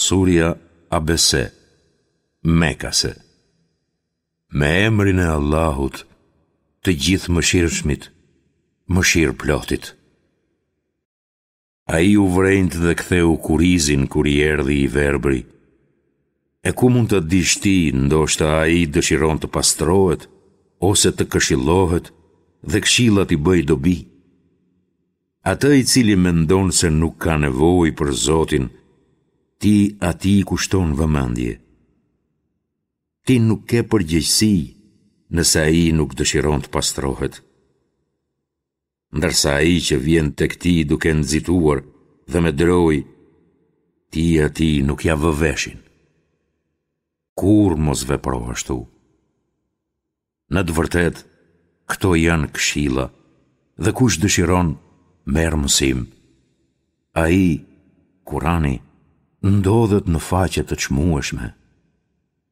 Surja Abese, Mekase. Me emrin e Allahut, të Gjithëmëshirshmit, mëshirëplotit. Ai u vrenjt dhe ktheu kurrizin kur i erdhi i verbri. E ku mund ta dish ti, ndoshta ai dëshiron të pastrohet ose të këshillohet dhe këshilla t'i bëjë dobi. Atë i cili mendon se nuk ka nevojë për Zotin, ti atij i kushton vëmendje. Ti nuk ke përgjegjësi nëse ai nuk dëshiron të pastrohet. Ndërsa ai që vjen tek ti duke nxituar dhe me drojë, ti atij nuk ia vë veshin. Kurrë mos vepro ashtu. Në të vërtetë, këto janë këshilla dhe kush dëshiron, merr mësim. Ai, Kurani, ndodhet në faqe të çmueshme,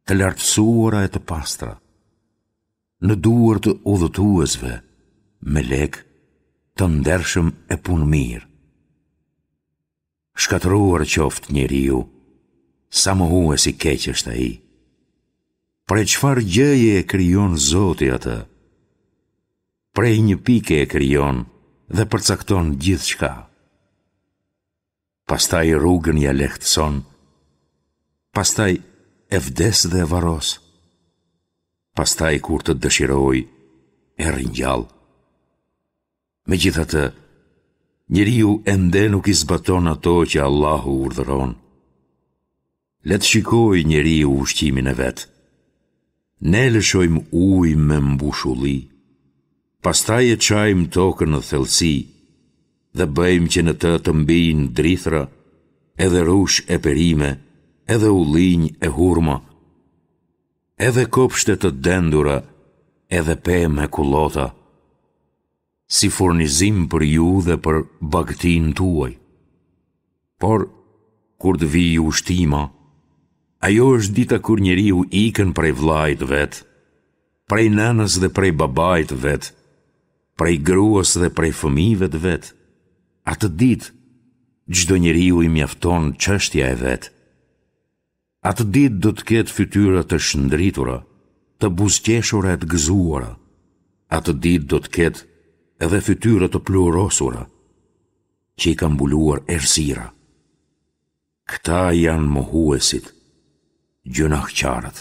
të lartësuara e të pastra. Në duar të udhëtuesve, melekë, të ndershëm e punëmirë. Shkatërruar qoftë njeriu, sa mohues i keq është ai. Prej çfarë gjëje e krijon Zoti atë? Prej një pike e krijon dhe përcakton gjithçka. Pastaj rrugën ia lehtëson, pastaj e vdes dhe e varros. Pastaj kur të dëshirojë, e ringjall. Megjithatë, njeriu ende nuk i zbaton ato që Allahu urdhëron. Le të shikojë njeriu ushqimin e vet. Ne lëshojmë ujë me mbushulli. Pastaj e çajmë tokën në thellësi dhe bëjmë që në të të mbijnë drithëra, edhe rrush e perime, edhe ullinj e hurma, edhe kopshte të dendura, edhe pemë e kullota. si furnizim për ju dhe për bagëtinë tuaj. Por, kur të vijë ushtima, ajo është dita kur njeriu ikën prej vëllait të vet, prej nënës dhe prej babait të vet, prej gruas dhe prej fëmijëve të vet. Atë ditë, çdo njeriu i mjafton çështja e vet. Atë ditë do të ketë fytyra të shndritura, të buzëqeshura e të gëzuara. Atë ditë do të ketë edhe fytyra të pluhurosura, që i ka mbuluar errësira. Këta janë mohuesit, gjynahqarët.